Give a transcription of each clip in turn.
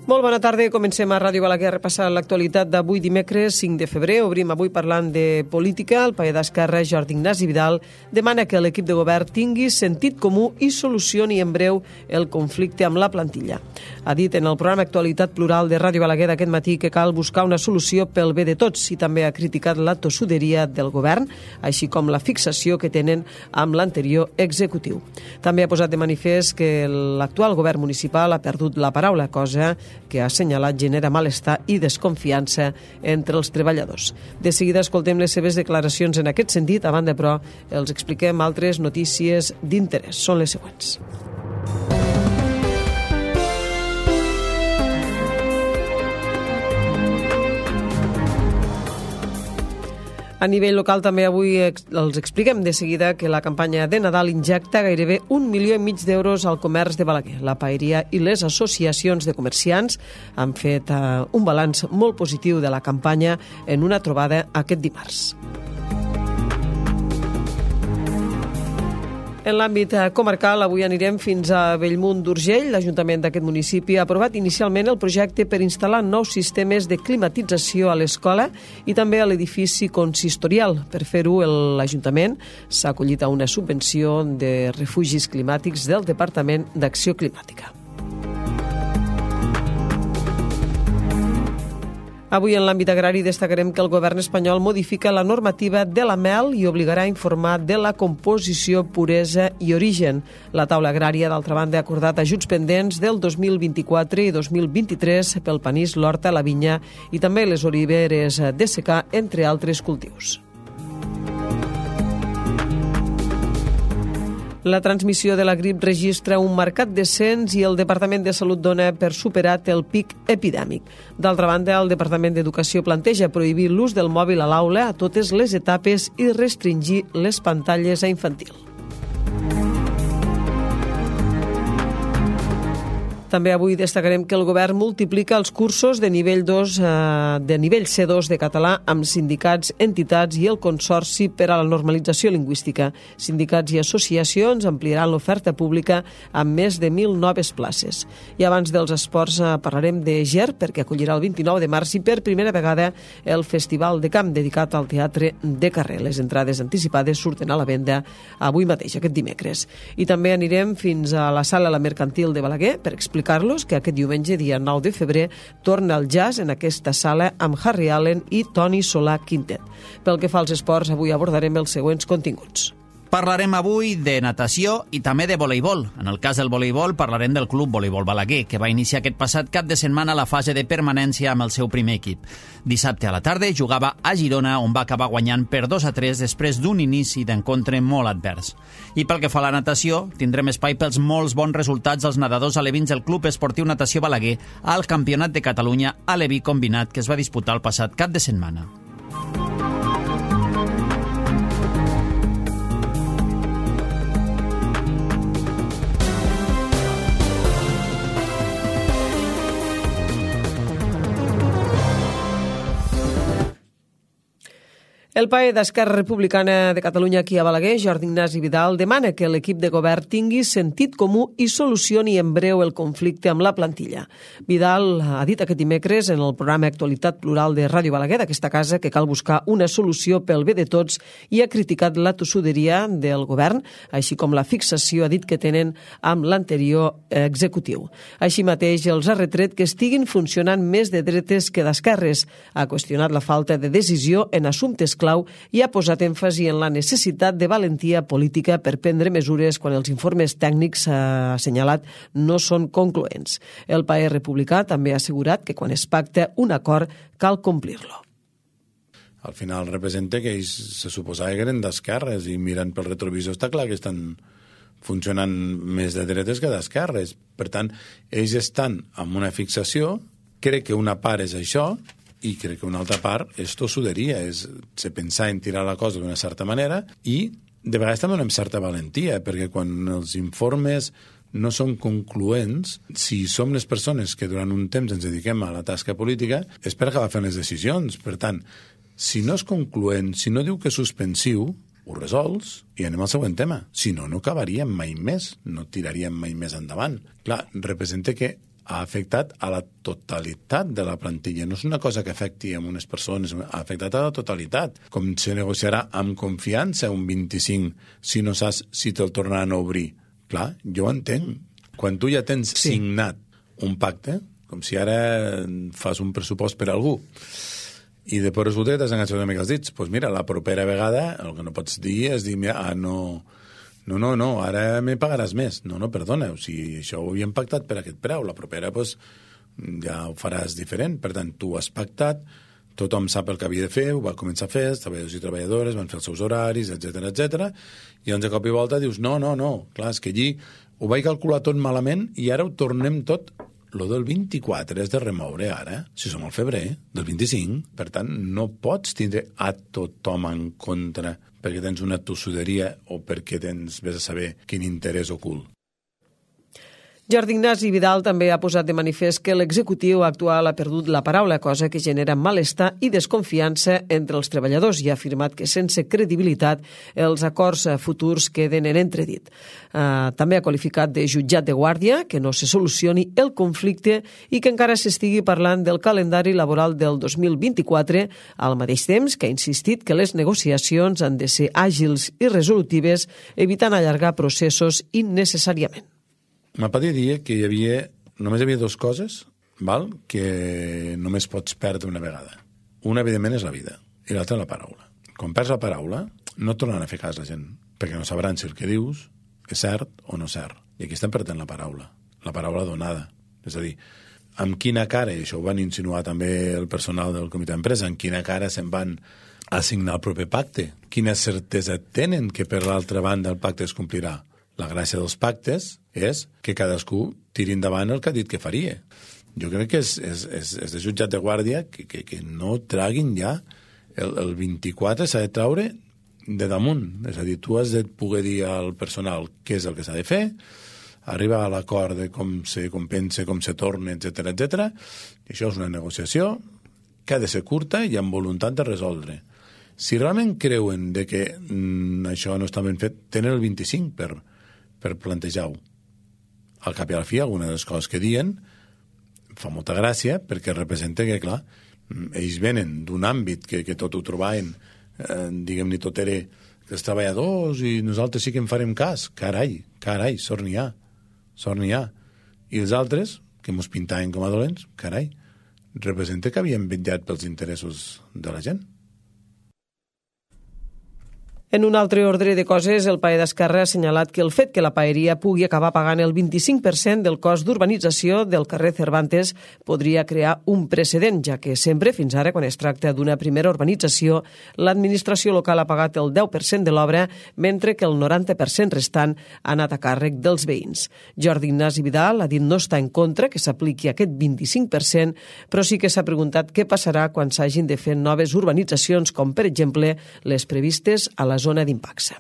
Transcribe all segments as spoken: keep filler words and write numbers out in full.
Molt bona tarda, comencem a Ràdio Balaguer a repassar l'actualitat d'avui dimecres cinc de febrer. Obrim avui parlant de política. El paller d'Esquerra, Jordi Ignasi Vidal, demana que l'equip de govern tingui sentit comú i solucioni en breu el conflicte amb la plantilla. Ha dit en el programa Actualitat Plural de Ràdio Balaguer d'aquest matí que cal buscar una solució pel bé de tots i també ha criticat la tossuderia del govern, així com la fixació que tenen amb l'anterior executiu. També ha posat de manifest que l'actual govern municipal ha perdut la paraula, cosa que ha assenyalat genera malestar i desconfiança entre els treballadors. De seguida escoltem les seves declaracions en aquest sentit. A banda, però, els expliquem altres notícies d'interès. Són les següents. A nivell local també avui els expliquem de seguida que la campanya de Nadal injecta gairebé un milió i mig d'euros al comerç de Balaguer. La paeria i les associacions de comerciants han fet un balanç molt positiu de la campanya en una trobada aquest dimarts. En l'àmbit comarcal, avui anirem fins a Bellmunt d'Urgell. L'Ajuntament d'aquest municipi ha aprovat inicialment el projecte per instal·lar nous sistemes de climatització a l'escola i també a l'edifici consistorial. Per fer-ho, l'Ajuntament s'ha acollit a una subvenció de refugis climàtics del Departament d'Acció Climàtica. Avui en l'àmbit agrari destacarem que el govern espanyol modifica la normativa de la mel i obligarà a informar de la composició, puresa i origen. La taula agrària, d'altra banda, ha acordat ajuts pendents del dos mil vint-i-quatre i dos mil vint-i-tres pel panís, l'horta, la vinya i també les oliveres de secà, entre altres cultius. La transmissió de la grip registra un marcat descens i el Departament de Salut dona per superat el pic epidèmic. D'altra banda, el Departament d'Educació planteja prohibir l'ús del mòbil a l'aula a totes les etapes i restringir les pantalles a infantil. També avui destacarem que el govern multiplica els cursos de nivell dos, eh, de nivell C dos de català amb sindicats, entitats i el Consorci per a la Normalització Lingüística. Sindicats i associacions ampliaran l'oferta pública amb més de mil noves places. I abans dels esports eh, parlarem de Ger, perquè acollirà el vint-i-nou de març i per primera vegada el Festival de Camp dedicat al teatre de carrer. Les entrades anticipades surten a la venda avui mateix, aquest dimecres. I també anirem fins a la Sala La Mercantil de Balaguer per explicar explicar-los que aquest diumenge, dia nou de febrer, torna el jazz en aquesta sala amb Harry Allen i Toni Solà Quintet. Pel que fa als esports, avui abordarem els següents continguts. Parlarem avui de natació i també de voleibol. En el cas del voleibol parlarem del Club Voleibol Balaguer, que va iniciar aquest passat cap de setmana la fase de permanència amb el seu primer equip. Dissabte a la tarda jugava a Girona, on va acabar guanyant per dos a tres després d'un inici d'encontre molt advers. I pel que fa a la natació, tindrem espai pels molts bons resultats dels nedadors alevins del Club Esportiu Natació Balaguer al Campionat de Catalunya aleví combinat que es va disputar el passat cap de setmana. El paller d'Esquerra Republicana de Catalunya aquí a Balaguer, Jordi Ignasi Vidal, demana que l'equip de govern tingui sentit comú i solucioni en breu el conflicte amb la plantilla. Vidal ha dit aquest dimecres en el programa Actualitat Plural de Ràdio Balaguer d'aquesta casa que cal buscar una solució pel bé de tots i ha criticat la tossuderia del govern, així com la fixació, ha dit, que tenen amb l'anterior executiu. Així mateix els ha retret que estiguin funcionant més de dretes que d'esquerres. Ha qüestionat la falta de decisió en assumptes clau i ha posat èmfasi en la necessitat de valentia política per prendre mesures quan els informes tècnics, ha assenyalat, no són concloents. El paller republicà també ha assegurat que quan es pacta un acord cal complir-lo. Al final representa que ells se suposava que eren d'esquerres i mirant pel retrovisor està clar que estan funcionant més de dretes que d'esquerres. Per tant, ells estan amb una fixació, crec que una part és això, i crec que una altra part és tossuderia, és se pensar en tirar la cosa d'una certa manera i de vegades també amb certa valentia, perquè quan els informes no són concloents, si som les persones que durant un temps ens dediquem a la tasca política, és per acabar fent les decisions. Per tant, si no és concloent, si no diu que és suspensiu, ho resols i anem al següent tema. Si no, no acabaríem mai més, no tiraríem mai més endavant. Clar, representa que ha afectat a la totalitat de la plantilla. No és una cosa que afecti a unes persones, ha afectat a la totalitat. Com se negociarà amb confiança un vint-i-cinc si no saps si te'l tornaran a obrir? Clar, jo ho entenc. Quan tu ja tens sí. signat un pacte, com si ara fas un pressupost per a algú, i després resulta que t'has enganxat una mica els dits, doncs mira, la propera vegada el que no pots dir és dir, mira, ah, no... No, no, no, ara me pagaràs més. No, no, perdona, o sigui, això ho havíem pactat per aquest preu. La propera, doncs, ja ho faràs diferent. Per tant, tu has pactat, tothom sap el que havia de fer, ho va començar a fer, els treballadors i treballadores van fer els seus horaris, etcètera, etcètera, i doncs de cop i volta dius, no, no, no, clar, és que allí ho vaig calcular tot malament i ara ho tornem tot. Lo del vint-i-quatre és de remoure ara, si som al febrer, del vint-i-cinc. Per tant, no pots tindre a tothom en contra perquè tens una tossuderia o perquè tens, vés a saber, quin interès ocult. Jordi Ignasi Vidal també ha posat de manifest que l'executiu actual ha perdut la paraula, cosa que genera malestar i desconfiança entre els treballadors, i ha afirmat que sense credibilitat els acords futurs queden en entredit. Uh, també ha qualificat de jutjat de guàrdia que no se solucioni el conflicte i que encara s'estigui parlant del calendari laboral del dos mil vint-i-quatre, al mateix temps que ha insistit que les negociacions han de ser àgils i resolutives, evitant allargar processos innecessàriament. M'apadia dir que hi havia, només hi havia dues coses, val, que només pots perdre una vegada. Una, evidentment, és la vida, i l'altra, la paraula. Quan perds la paraula, no et tornaran a fer cas la gent, perquè no sabran si el que dius és cert o no cert. I aquí estem perdent la paraula, la paraula donada. És a dir, amb quina cara, i això ho van insinuar també el personal del comitè d'empresa, amb quina cara se'n van assignar el proper pacte? Quina certesa tenen que per l'altra banda el pacte es complirà? La gràcia dels pactes és que cadascú tiri endavant el que ha dit que faria. Jo crec que és, és, és, és de jutjat de guàrdia que, que, que no traguin ja el, el vint-i-quatre s'ha de traure de damunt. És a dir, tu has de poder dir al personal què és el que s'ha de fer, arribar a l'acord de com se compensa, com se torna, etcètera, etcètera. I això és una negociació que ha de ser curta i amb voluntat de resoldre. Si realment creuen de que mm, això no està ben fet, tenen el vint-i-cinc per... per plantejar-ho. Al cap i a la fi, alguna de les coses que diuen fa molta gràcia perquè representa que, clar, ells venen d'un àmbit que, que tot ho trobaven, eh, diguem-ne, tot era els treballadors i nosaltres sí que en farem cas. Carai, carai, sort n'hi ha, sort n'hi ha. I els altres, que mos pintaven com a dolents, carai, representa que havien vetllat pels interessos de la gent. En un altre ordre de coses, el PAE d'Esquerra ha assenyalat que el fet que la paeria pugui acabar pagant el vint-i-cinc per cent del cost d'urbanització del carrer Cervantes podria crear un precedent, ja que sempre, fins ara, quan es tracta d'una primera urbanització, l'administració local ha pagat el deu per cent de l'obra, mentre que el noranta per cent restant ha anat a càrrec dels veïns. Jordi Ignasi Vidal ha dit no està en contra que s'apliqui aquest vint-i-cinc per cent, però sí que s'ha preguntat què passarà quan s'hagin de fer noves urbanitzacions, com per exemple les previstes a la zona d'Impacsa.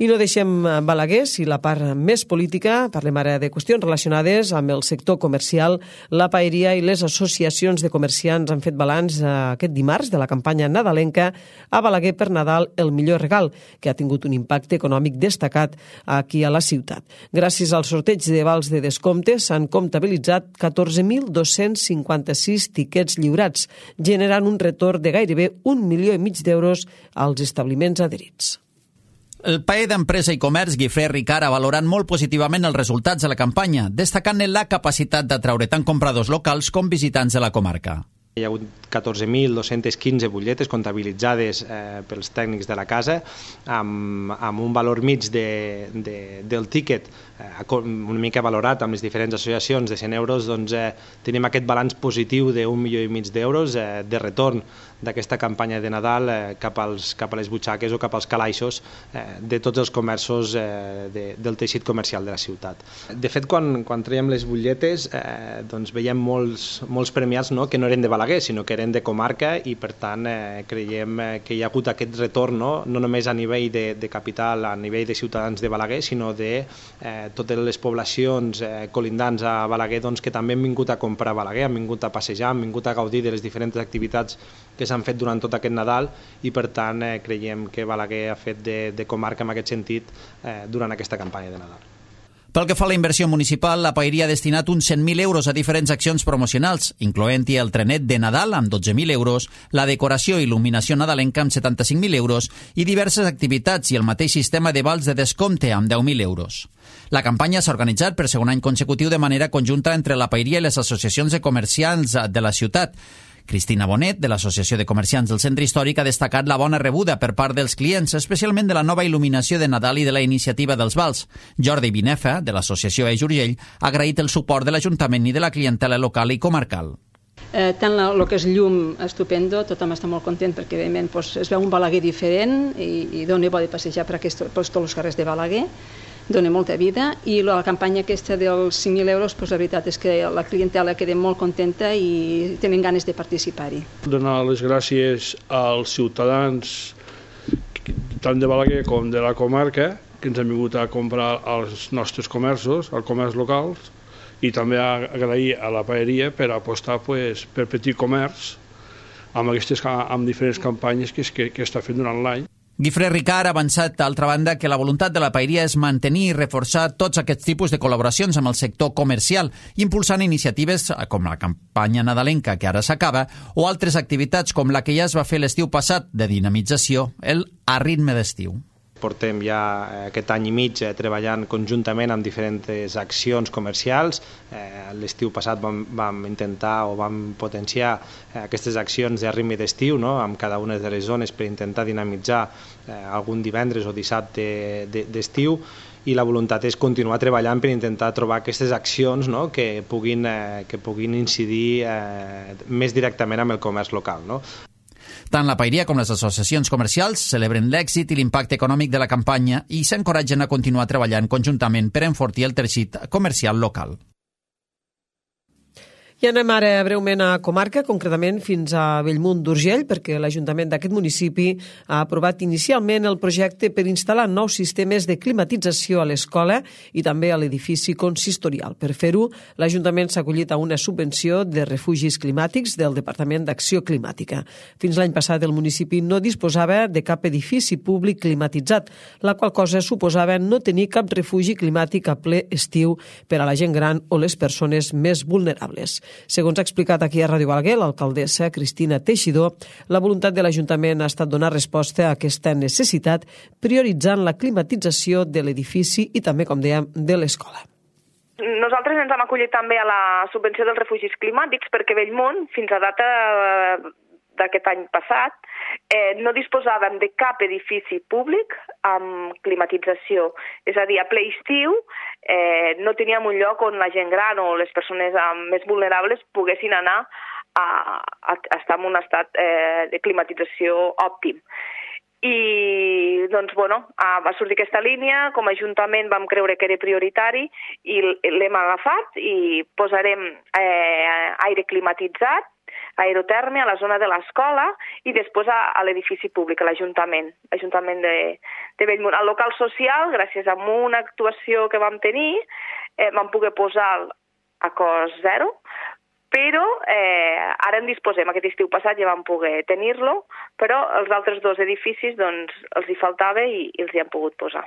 I no deixem Balaguer, si la part més política, parlem ara de qüestions relacionades amb el sector comercial. La paeria i les associacions de comerciants han fet balanç aquest dimarts de la campanya nadalenca a Balaguer per Nadal el millor regal, que ha tingut un impacte econòmic destacat aquí a la ciutat. Gràcies al sorteig de vals de descompte s'han comptabilitzat catorze mil dos-cents cinquanta-sis tiquets lliurats, generant un retorn de gairebé un milió i mig d'euros als establiments adherits. El PAE d'Empresa i Comerç, Guifré Ricard, ha valorat molt positivament els resultats de la campanya, destacant-ne la capacitat d'atraure tant compradors locals com visitants de la comarca. Hi ha hagut catorze mil dos-cents quinze butlletes comptabilitzades eh, pels tècnics de la casa, amb, amb un valor mig de, de, del tíquet eh, una mica valorat amb les diferents associacions de cent euros, doncs eh, tenim aquest balanç positiu d'un milió i mig d'euros eh, de retorn d'aquesta campanya de Nadal eh, cap, als, cap a les butxaques o cap als calaixos eh, de tots els comerços eh, de, del teixit comercial de la ciutat. De fet, quan, quan traiem les butlletes, eh, doncs veiem molts, molts premiats, no?, que no eren de Balaguer, sinó que eren de comarca, i per tant eh, creiem eh, que hi ha hagut aquest retorn, no, no només a nivell de, de capital, a nivell de ciutadans de Balaguer, sinó de eh, totes les poblacions eh, colindants a Balaguer, doncs, que també han vingut a comprar a Balaguer, han vingut a passejar, han vingut a gaudir de les diferents activitats que s'han fet durant tot aquest Nadal, i per tant eh, creiem que Balaguer ha fet de, de comarca en aquest sentit eh, durant aquesta campanya de Nadal. Pel que fa a la inversió municipal, la Paeria ha destinat uns cent mil euros a diferents accions promocionals, incloent-hi el trenet de Nadal amb dotze mil euros, la decoració i il·luminació nadalenca amb setanta-cinc mil euros i diverses activitats i el mateix sistema de vals de descompte amb deu mil euros. La campanya s'ha organitzat per segon any consecutiu de manera conjunta entre la Paeria i les associacions de comerciants de la ciutat. Cristina Bonet, de l'Associació de Comerciants del Centre Històric, ha destacat la bona rebuda per part dels clients, especialment de la nova il·luminació de Nadal i de la iniciativa dels vals. Jordi Binefa, de l'Associació Eix Urgell, ha agraït el suport de l'Ajuntament i de la clientela local i comarcal. Eh, tant el que és llum, estupendo, tothom està molt content perquè evidentment doncs, es veu un Balaguer diferent i, i dona bo de passejar per, aquest, per tots els carrers de Balaguer, dona molta vida, i la campanya aquesta dels cinc mil euros, doncs, la veritat és que la clientela queda molt contenta i tenen ganes de participar-hi. Donar les gràcies als ciutadans tant de Balaguer com de la comarca que ens han vingut a comprar als nostres comerços, als comerç locals, i també agrair a la Paeria per apostar pues, per petit comerç amb, aquestes, amb diferents campanyes que, que, que està fent durant l'any. Guifré Ricard ha avançat, d'altra banda, que la voluntat de la Paeria és mantenir i reforçar tots aquests tipus de col·laboracions amb el sector comercial, impulsant iniciatives com la campanya nadalenca, que ara s'acaba, o altres activitats com la que ja es va fer l'estiu passat de dinamització, el A Ritme d'Estiu. Portem ja aquest any i mig eh, treballant conjuntament amb diferents accions comercials. Eh, L'estiu passat vam, vam intentar o vam potenciar eh, aquestes accions de ritme d'estiu, no?, amb cada una de les zones per intentar dinamitzar eh, algun divendres o dissabte d'estiu, i la voluntat és continuar treballant per intentar trobar aquestes accions, no?, que puguin, eh, que puguin incidir eh, més directament amb el comerç local, no? Tant la Paeria com les associacions comercials celebren l'èxit i l'impacte econòmic de la campanya i s'encoratgen a continuar treballant conjuntament per enfortir el teixit comercial local. I anem ara breument a comarca, concretament fins a Bellmunt d'Urgell, perquè l'Ajuntament d'aquest municipi ha aprovat inicialment el projecte per instal·lar nous sistemes de climatització a l'escola i també a l'edifici consistorial. Per fer-ho, l'Ajuntament s'ha acollit a una subvenció de refugis climàtics del Departament d'Acció Climàtica. Fins l'any passat el municipi no disposava de cap edifici públic climatitzat, la qual cosa suposava no tenir cap refugi climàtic a ple estiu per a la gent gran o les persones més vulnerables. Segons ha explicat aquí a Ràdio Balaguer l'alcaldessa Cristina Teixidor, la voluntat de l'Ajuntament ha estat donar resposta a aquesta necessitat prioritzant la climatització de l'edifici i també, com dèiem, de l'escola. Nosaltres ens hem acollit també a la subvenció dels refugis climàtics perquè Bellmunt, fins a data d'aquest any passat, eh, no disposàvem de cap edifici públic amb climatització. És a dir, a ple estiu eh, no teníem un lloc on la gent gran o les persones eh, més vulnerables poguessin anar a, a, a estar en un estat eh, de climatització òptim. I doncs, bueno, va sortir aquesta línia, com a Ajuntament vam creure que era prioritari i l'hem agafat i posarem eh, aire climatitzat, aerotèrmia a la zona de l'escola i després a, a l'edifici públic, a l'Ajuntament, l'Ajuntament de, de Bellmunt. Al local social, gràcies a una actuació que vam tenir, eh, vam poder posar a cost zero, però eh, ara en disposem. Aquest estiu passat ja vam poder tenir-lo, però els altres dos edificis doncs, els hi faltava i, i els hi han pogut posar.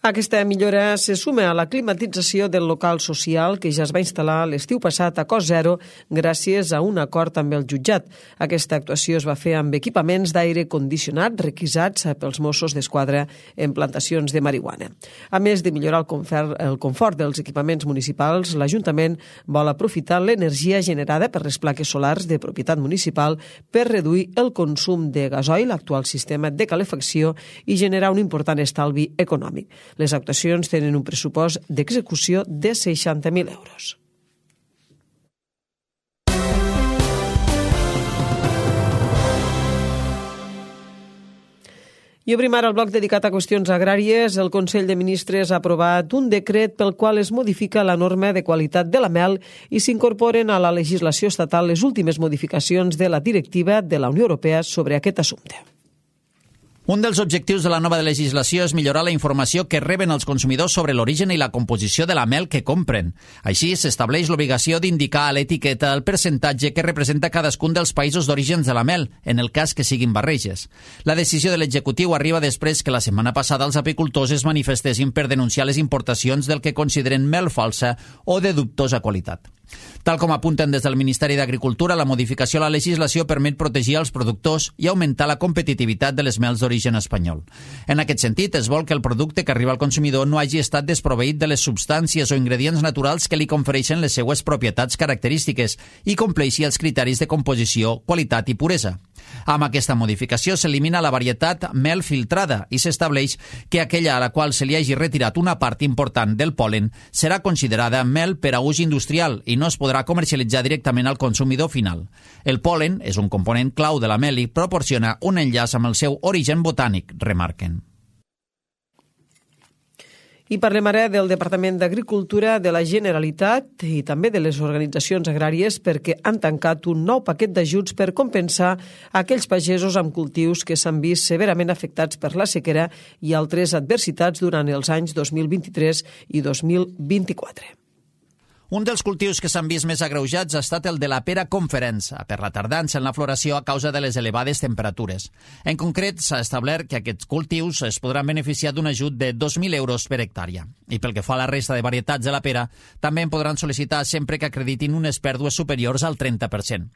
Aquesta millora se suma a la climatització del local social que ja es va instal·lar l'estiu passat a cost zero gràcies a un acord amb el jutjat. Aquesta actuació es va fer amb equipaments d'aire condicionat requisats pels Mossos d'Esquadra en plantacions de marihuana. A més de millorar el confort, el confort dels equipaments municipals, l'Ajuntament vol aprofitar l'energia generada per les plaques solars de propietat municipal per reduir el consum de gasoil, l'actual sistema de calefacció, i generar un important estalvi econòmic. Les actuacions tenen un pressupost d'execució de seixanta mil euros. I obrim ara el bloc dedicat a qüestions agràries. El Consell de Ministres ha aprovat un decret pel qual es modifica la norma de qualitat de la mel i s'incorporen a la legislació estatal les últimes modificacions de la directiva de la Unió Europea sobre aquest assumpte. Un dels objectius de la nova legislació és millorar la informació que reben els consumidors sobre l'origen i la composició de la mel que compren. Així, s'estableix l'obligació d'indicar a l'etiqueta el percentatge que representa cadascun dels països d'orígens de la mel, en el cas que siguin barreges. La decisió de l'executiu arriba després que la setmana passada els apicultors es manifestessin per denunciar les importacions del que consideren mel falsa o de dubtosa qualitat. Tal com apunten des del Ministeri d'Agricultura, la modificació a la legislació permet protegir els productors i augmentar la competitivitat de les mels d'origen espanyol. En aquest sentit, es vol que el producte que arriba al consumidor no hagi estat desproveït de les substàncies o ingredients naturals que li confereixen les seues propietats característiques i compleixi els criteris de composició, qualitat i puresa. Amb aquesta modificació s'elimina la varietat mel filtrada i s'estableix que aquella a la qual se li hagi retirat una part important del pol·len serà considerada mel per a ús industrial i no es podrà comercialitzar directament al consumidor final. El pol·len és un component clau de la mel i proporciona un enllaç amb el seu origen botànic, remarquen. I parlem ara del Departament d'Agricultura de la Generalitat i també de les organitzacions agràries perquè han tancat un nou paquet d'ajuts per compensar aquells pagesos amb cultius que s'han vist severament afectats per la sequera i altres adversitats durant els anys dos mil vint-i-tres i dos mil vint-i-quatre. Un dels cultius que s'han vist més agreujats ha estat el de la pera conferença, per la tardança en la floració a causa de les elevades temperatures. En concret, s'ha establert que aquests cultius es podran beneficiar d'un ajut de dos mil euros per hectàrea. I pel que fa a la resta de varietats de la pera, també en podran sol·licitar sempre que acreditin unes pèrdues superiors al trenta per cent.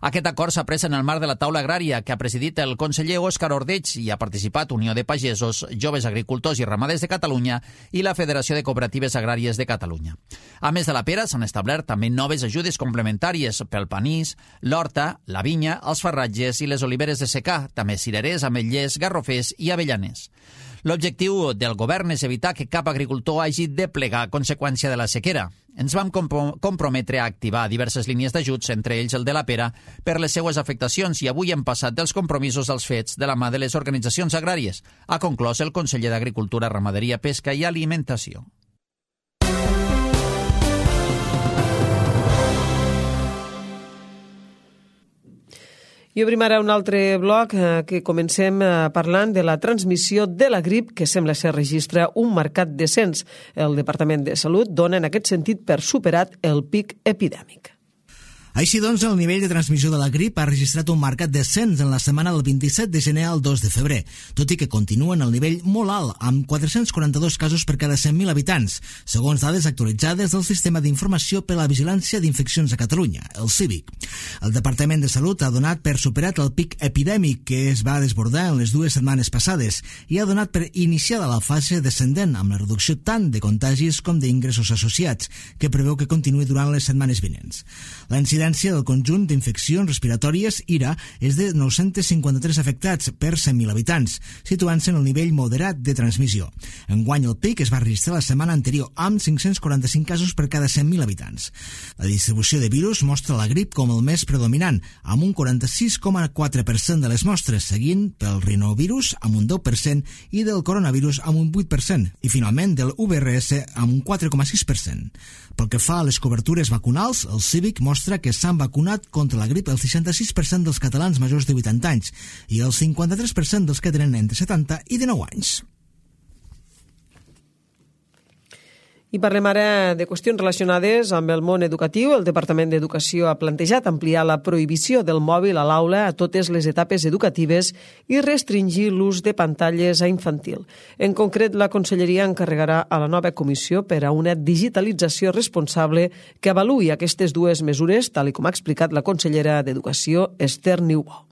Aquest acord s'ha pres en el marc de la taula agrària que ha presidit el conseller Òscar Ordeig i ha participat Unió de Pagesos, Joves Agricultors i Ramaders de Catalunya i la Federació de Cooperatives Agràries de Catalunya. A més de la pera, s'han establert també noves ajudes complementàries pel panís, l'horta, la vinya, els farratges i les oliveres de secà, també cirerers, ametllers, garrofers i avellaners. L'objectiu del govern és evitar que cap agricultor hagi de plegar a conseqüència de la sequera. Ens vam comprometre a activar diverses línies d'ajuts, entre ells el de la pera, per les seues afectacions i avui hem passat dels compromisos als fets de la mà de les organitzacions agràries, ha conclòs el conseller d'Agricultura, Ramaderia, Pesca i Alimentació. I obrim ara un altre bloc eh, que comencem eh, parlant de la transmissió de la grip que sembla ser registra un marcat descens. El Departament de Salut dona en aquest sentit per superat el pic epidèmic. Així doncs, el nivell de transmissió de la grip ha registrat un marcat descens en la setmana del vint-i-set de gener al dos de febrer, tot i que continua en el nivell molt alt, amb quatre-cents quaranta-dos casos per cada cent mil habitants, segons dades actualitzades del Sistema d'Informació per a la Vigilància d'Infeccions a Catalunya, el CIVIC. El Departament de Salut ha donat per superat el pic epidèmic que es va desbordar en les dues setmanes passades i ha donat per iniciada la fase descendent amb la reducció tant de contagis com d'ingressos associats, que preveu que continuï durant les setmanes vinents. La incidència del conjunt d'infeccions respiratòries I R A és de nou-cents cinquanta-tres afectats per cent mil habitants, situant-se en el nivell moderat de transmissió. Enguany el pic es va registrar la setmana anterior amb cinc-cents quaranta-cinc casos per cada cent mil habitants. La distribució de virus mostra la grip com el més predominant, amb un quaranta-sis coma quatre per cent de les mostres, seguint pel rinovirus amb un deu per cent i del coronavirus amb un vuit per cent, i finalment del U V R S amb un quatre coma sis per cent. Pel que fa a les cobertures vacunals, el CIVIC mostra que s'han vacunat contra la grip el seixanta-sis per cent dels catalans majors de vuitanta anys i el cinquanta-tres per cent dels que tenen entre setanta i dinou anys. I parlem ara de qüestions relacionades amb el món educatiu. El Departament d'Educació ha plantejat ampliar la prohibició del mòbil a l'aula a totes les etapes educatives i restringir l'ús de pantalles a infantil. En concret, la Conselleria encarregarà a la nova comissió per a una digitalització responsable que avaluï aquestes dues mesures, tal com ha explicat la consellera d'Educació, Esther Niubó.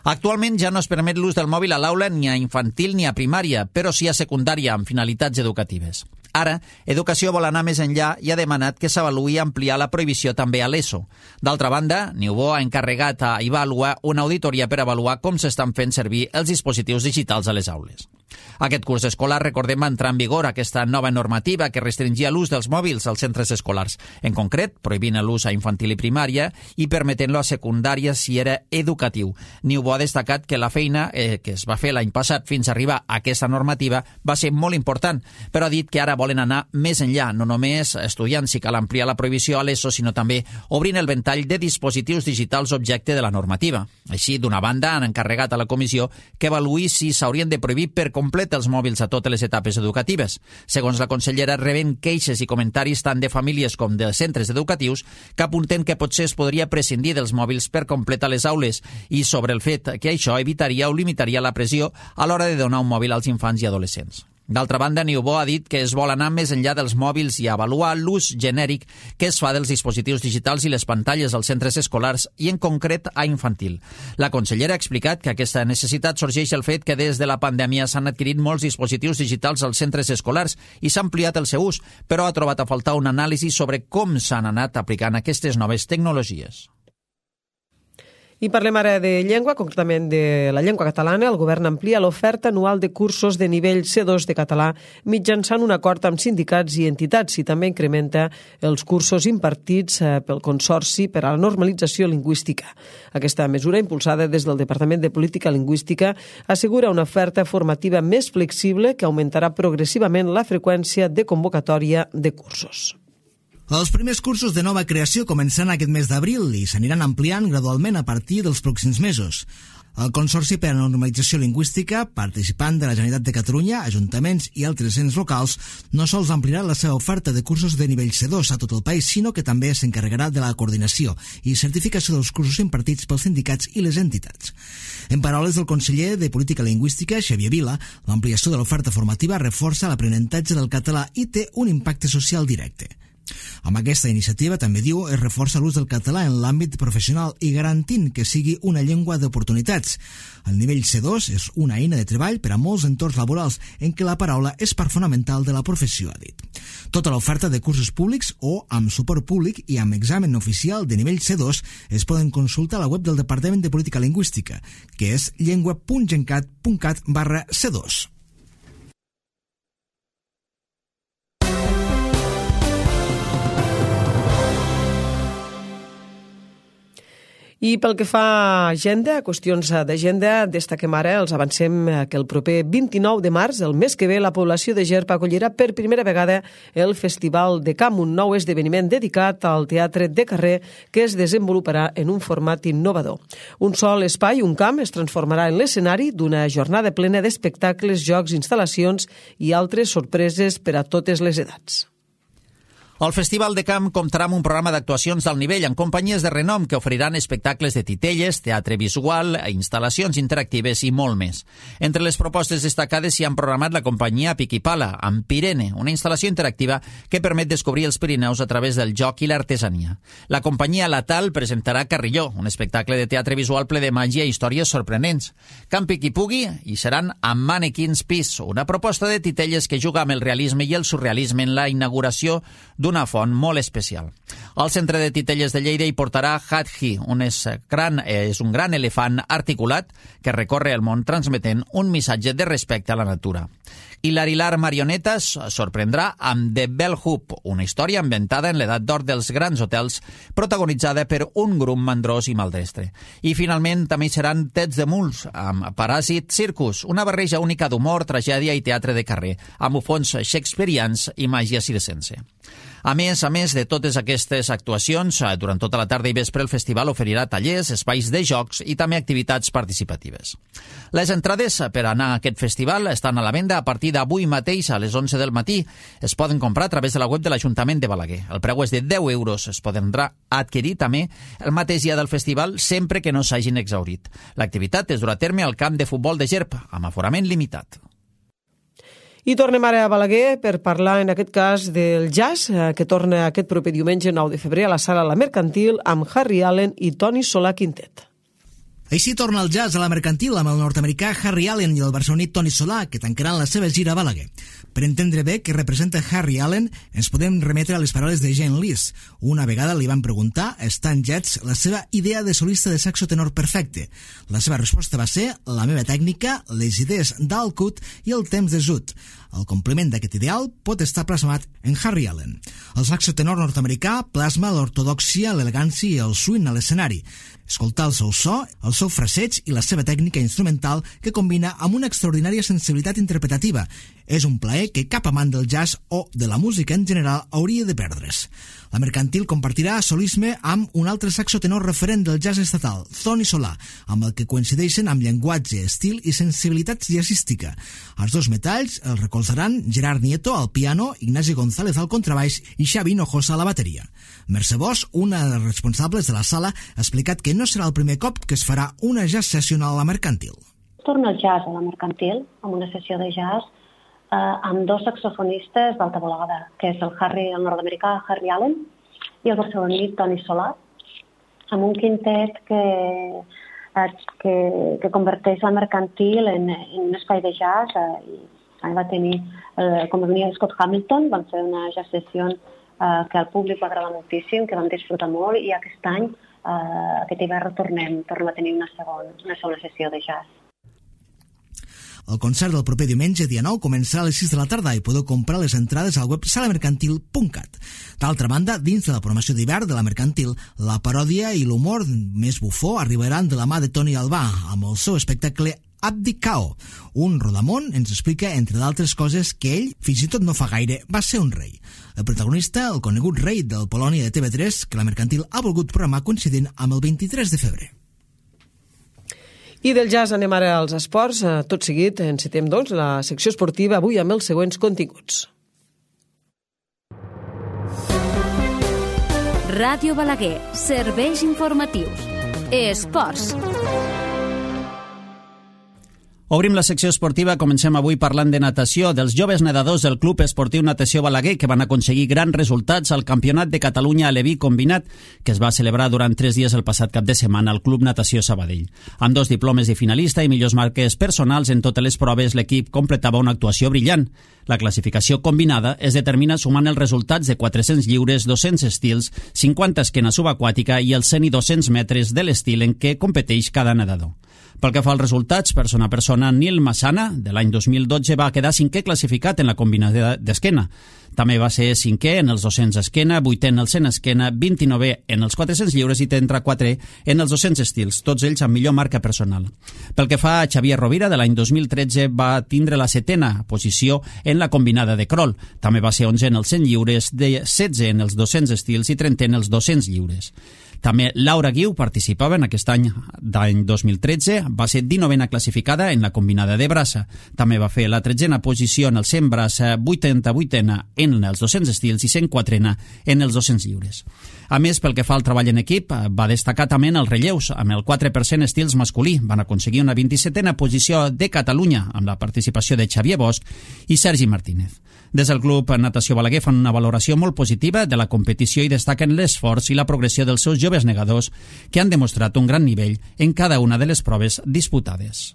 Actualment ja no es permet l'ús del mòbil a l'aula ni a infantil ni a primària, però sí a secundària amb finalitats educatives. Ara, Educació vol anar més enllà i ha demanat que s'avaluï ampliar la prohibició també a l'ESO. D'altra banda, Niubó ha encarregat a Ivalua una auditoria per avaluar com s'estan fent servir els dispositius digitals a les aules. Aquest curs escolar, recordem, va entrar en vigor aquesta nova normativa que restringia l'ús dels mòbils als centres escolars. En concret, prohibint l'ús a infantil i primària i permetent-lo a secundària si era educatiu. Niubó ha destacat que la feina eh, que es va fer l'any passat fins a arribar a aquesta normativa va ser molt important, però ha dit que ara volen anar més enllà, no només estudiant si cal ampliar la prohibició a l'ESO, sinó també obrint el ventall de dispositius digitals objecte de la normativa. Així, d'una banda, han encarregat a la comissió que avaluï si s'haurien de prohibir per complet els mòbils a totes les etapes educatives. Segons la consellera, reben queixes i comentaris tant de famílies com de centres educatius que apunten que potser es podria prescindir dels mòbils per complet a les aules i sobre el fet que això evitaria o limitaria la pressió a l'hora de donar un mòbil als infants i adolescents. D'altra banda, Niubó ha dit que es vol anar més enllà dels mòbils i avaluar l'ús genèric que es fa dels dispositius digitals i les pantalles als centres escolars i en concret a infantil. La consellera ha explicat que aquesta necessitat sorgeix del fet que des de la pandèmia s'han adquirit molts dispositius digitals als centres escolars i s'ha ampliat el seu ús, però ha trobat a faltar una anàlisi sobre com s'han anat aplicant aquestes noves tecnologies. I parlem ara de llengua, concretament de la llengua catalana. El govern amplia l'oferta anual de cursos de nivell C dos de català mitjançant un acord amb sindicats i entitats i també incrementa els cursos impartits pel Consorci per a la Normalització Lingüística. Aquesta mesura, impulsada des del Departament de Política Lingüística, assegura una oferta formativa més flexible que augmentarà progressivament la freqüència de convocatòria de cursos. Els primers cursos de nova creació començaran aquest mes d'abril i s'aniran ampliant gradualment a partir dels pròxims mesos. El Consorci per a la Normalització Lingüística, participant de la Generalitat de Catalunya, ajuntaments i altres ens locals, no sols ampliarà la seva oferta de cursos de nivell C dos a tot el país, sinó que també s'encarregarà de la coordinació i certificació dels cursos impartits pels sindicats i les entitats. En paraules del conseller de Política Lingüística, Xavier Vila, l'ampliació de l'oferta formativa reforça l'aprenentatge del català i té un impacte social directe. Amb aquesta iniciativa, també diu, es reforça l'ús del català en l'àmbit professional i garantint que sigui una llengua d'oportunitats. El nivell C dos és una eina de treball per a molts entorns laborals en què la paraula és part fonamental de la professió, ha dit. Tota l'oferta de cursos públics o amb suport públic i amb examen oficial de nivell C dos es poden consultar a la web del Departament de Política Lingüística, que és llengua punt gencat punt cat barra C dos. I pel que fa a agenda, a qüestions d'agenda, destaquem ara, els avancem que el proper vint-i-nou de març, el mes que ve, la població de Gerp acollirà per primera vegada el Festival de Camp, un nou esdeveniment dedicat al teatre de carrer que es desenvoluparà en un format innovador. Un sol espai, un camp, es transformarà en l'escenari d'una jornada plena d'espectacles, jocs, instal·lacions i altres sorpreses per a totes les edats. El Festival de Camp comptarà amb un programa d'actuacions d'alt nivell amb companyies de renom que oferiran espectacles de titelles, teatre visual, instal·lacions interactives i molt més. Entre les propostes destacades s'hi han programat la companyia Piquipala, amb Pirene, una instal·lació interactiva que permet descobrir els Pirineus a través del joc i l'artesania. La companyia Latal presentarà Carrilló, un espectacle de teatre visual ple de màgia i històries sorprenents. Camp Piquipugui hi seran amb Mannequins Peace, una proposta de titelles que juga amb el realisme i el surrealisme en la inauguració d'un d'una font molt especial. Al centre de titelles de Lleida hi portarà Hadhi, un és, gran, és un gran elefant articulat que recorre el món transmetent un missatge de respecte a la natura. I l'Arilar Marionetes sorprendrà amb The Bell Hoop, una història ambientada en l'edat d'or dels grans hotels, protagonitzada per un grup mandrós i maldestre. I finalment també hi seran Tets de Muls, amb Paràsit Circus, una barreja única d'humor, tragèdia i teatre de carrer, amb bufons shakespearians i màgia circense. A més, a més de totes aquestes actuacions, durant tota la tarda i vespre el festival oferirà tallers, espais de jocs i també activitats participatives. Les entrades per anar a aquest festival estan a la venda a partir d'avui mateix a les onze del matí. Es poden comprar a través de la web de l'Ajuntament de Balaguer. El preu és de deu euros. Es podrà adquirir també el mateix dia del festival sempre que no s'hagin exhaurit. L'activitat es durà a terme al camp de futbol de Gerp, amb aforament limitat. I tornem ara a Balaguer per parlar, en aquest cas, del jazz, que torna aquest proper diumenge nou de febrer a la Sala La Mercantil amb Harry Allen i Toni Solà Quintet. Així torna el jazz a la mercantil amb el nord-americà Harry Allen i el barceloní Toni Solà, que tancaran la seva gira a Balaguer. Per entendre bé què representa Harry Allen, ens podem remetre a les paraules de Jane Lees. Una vegada li van preguntar a Stan Getz la seva idea de solista de saxo tenor perfecte. La seva resposta va ser la meva tècnica, les idees d'Al Cut i el temps de Zut. El compliment d'aquest ideal pot estar plasmat en Harry Allen. El saxo tenor nord-americà plasma l'ortodòxia, l'elegància i el swing a l'escenari. Escoltar el seu so, el seu fraseig i la seva tècnica instrumental que combina amb una extraordinària sensibilitat interpretativa. És un plaer que cap amant del jazz o de la música en general hauria de perdre's. La mercantil compartirà solisme amb un altre saxo tenor referent del jazz estatal, Toni Solà, amb el que coincideixen amb llenguatge, estil i sensibilitat jazzística. Els dos metalls els recolzaran Gerard Nieto al piano, Ignasi González al contrabaix i Xavi Hinojosa a la bateria. Mercè Bosch, una de les responsables de la sala, ha explicat que no serà el primer cop que es farà una jazz session a la mercantil. Torna el jazz a la mercantil, amb una sessió de jazz eh, amb dos saxofonistes d'alta volada, que és el Harry, el nord-americà Harry Allen i el barceloní Toni Solà, amb un quintet que, eh, que, que converteix la mercantil en, en un espai de jazz. Eh, i va tenir, eh, com venia Scott Hamilton, van fer una jazz session eh, que al públic va agradar moltíssim, que vam disfrutar molt, i aquest any, eh, aquest hivern, tornem, tornem a tenir una segona, una segona sessió de jazz. El concert del proper diumenge, dia nou, començarà a les sis de la tarda i podeu comprar les entrades al web salamercantil punt cat. D'altra banda, dins de la programació d'hivern de la mercantil, la paròdia i l'humor més bufó arribaran de la mà de Toni Albà amb el seu espectacle Abdicao. Un rodamón ens explica, entre d'altres coses, que ell, fins i tot no fa gaire, va ser un rei. El protagonista, el conegut rei del Polònia de T V tres, que la mercantil ha volgut programar coincidint amb el vint-i-tres de febrer. I del jazz anem ara als esports. Tot seguit encetem, doncs, la secció esportiva avui amb els següents continguts. Ràdio Balaguer, serveis informatius. Esports. Obrim la secció esportiva, comencem avui parlant de natació, dels joves nedadors del Club Esportiu Natació Balaguer, que van aconseguir grans resultats al Campionat de Catalunya Aleví Combinat, que es va celebrar durant tres dies el passat cap de setmana al Club Natació Sabadell. Amb dos diplomes de finalista i millors marques personals en totes les proves, l'equip completava una actuació brillant. La classificació combinada es determina sumant els resultats de quatre-cents lliures, dos-cents estils, cinquanta esquena subaquàtica i els cent i dos-cents metres de l'estil en què competeix cada nedador. Pel que fa als resultats, persona a persona, Nil Massana, de l'any dos mil dotze, va quedar cinquè classificat en la combinada d'esquena. També va ser cinquè en els dos-cents esquena, vuitè en els cent esquena, vint-i-novè en els quatre-cents lliures i trenta-quatre en els dos-cents estils, tots ells amb millor marca personal. Pel que fa a Xavier Rovira, de l'any dos mil tretze, va tindre la setena posició en la combinada de crawl. També va ser onzè en els cent lliures, de setze en els dos-cents estils i trentè en els dos-cents lliures. També Laura Guiu participava en aquest any d'any dos mil tretze, va ser dinovena classificada en la combinada de braça. També va fer la tretzena posició en el cent braça, vuitanta-vuitena en els dos-cents estils i cent quatrena en els dos-cents lliures. A més, pel que fa al treball en equip, va destacar també en els relleus, amb el quatre per cent estils masculí. Van aconseguir una vint-i-setena posició de Catalunya, amb la participació de Xavier Bosch i Sergi Martínez. Des del Club Natació Balaguer fan una valoració molt positiva de la competició i destaquen l'esforç i la progressió dels seus joves nedadors que han demostrat un gran nivell en cada una de les proves disputades.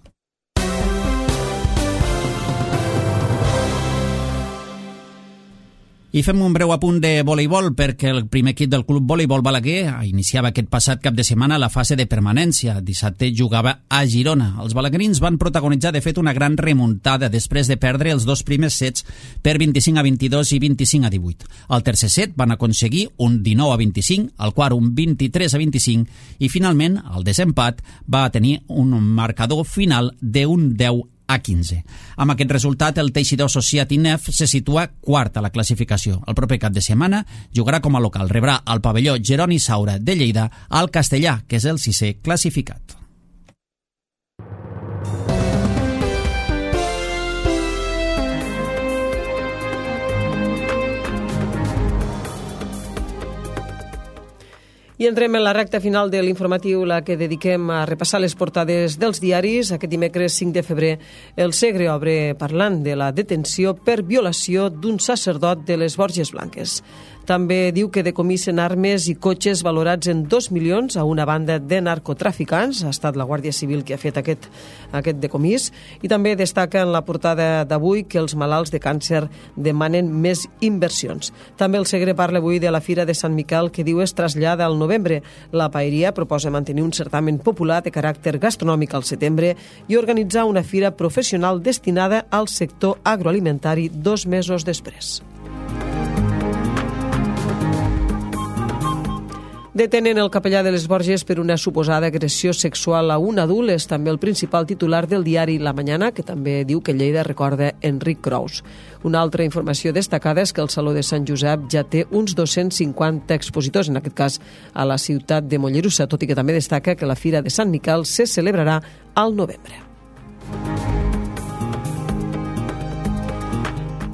I fem un breu apunt de voleibol perquè el primer equip del Club Voleibol Balaguer iniciava aquest passat cap de setmana la fase de permanència. Dissabte jugava a Girona. Els balaguerins van protagonitzar de fet una gran remuntada després de perdre els dos primers sets per vint-i-cinc a vint-i-dos i vint-i-cinc a divuit. Al tercer set van aconseguir un dinou a vint-i-cinc, al quart un vint-i-tres a vint-i-cinc i finalment el desempat va tenir un marcador final d'un deu a quinze. Amb aquest resultat, el Teixidor Society N E F se situa quart a la classificació. El proper cap de setmana jugarà com a local. Rebrà al pavelló Jeroni Saura de Lleida al Castellà, que és el sisè classificat. I entrem en la recta final de l'informatiu, la que dediquem a repassar les portades dels diaris. Aquest dimecres cinc de febrer, el Segre obre parlant de la detenció per violació d'un sacerdot de les Borges Blanques. També diu que decomissen armes i cotxes valorats en dos milions a una banda de narcotraficants. Ha estat la Guàrdia Civil que ha fet aquest, aquest decomís. I també destaca en la portada d'avui que els malalts de càncer demanen més inversions. També el Segre parla avui de la Fira de Sant Miquel, que diu es trasllada al novembre. La Paeria proposa mantenir un certamen popular de caràcter gastronòmic al setembre i organitzar una fira professional destinada al sector agroalimentari dos mesos després. Detenen el capellà de les Borges per una suposada agressió sexual a un adult. És també el principal titular del diari La Mañana, que també diu que Lleida recorda Enric Crous. Una altra informació destacada és que el Saló de Sant Josep ja té uns dos-cents cinquanta expositors, en aquest cas a la ciutat de Mollerussa, tot i que també destaca que la Fira de Sant Miquel se celebrarà al novembre.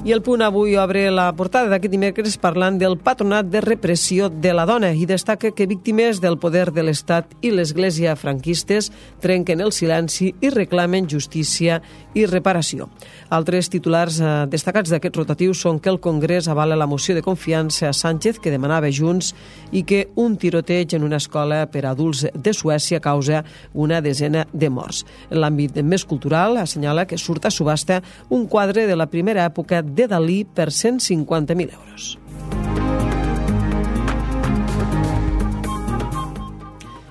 I el Punt avui obre la portada d'aquest dimecres parlant del Patronat de Repressió de la Dona i destaca que víctimes del poder de l'Estat i l'Església franquistes trenquen el silenci i reclamen justícia i reparació. Altres titulars eh, destacats d'aquest rotatiu són que el Congrés avala la moció de confiança a Sánchez que demanava Junts i que un tiroteig en una escola per a adults de Suècia causa una desena de morts. En l'àmbit més cultural assenyala que surt a subhasta un quadre de la primera època de Dalí per cent cinquanta mil euros.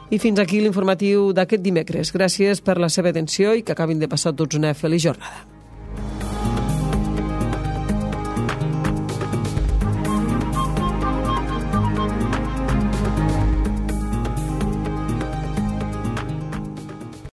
I fins aquí l'informatiu d'aquest dimecres. Gràcies per la seva atenció i que acabin de passar tots una feliç jornada.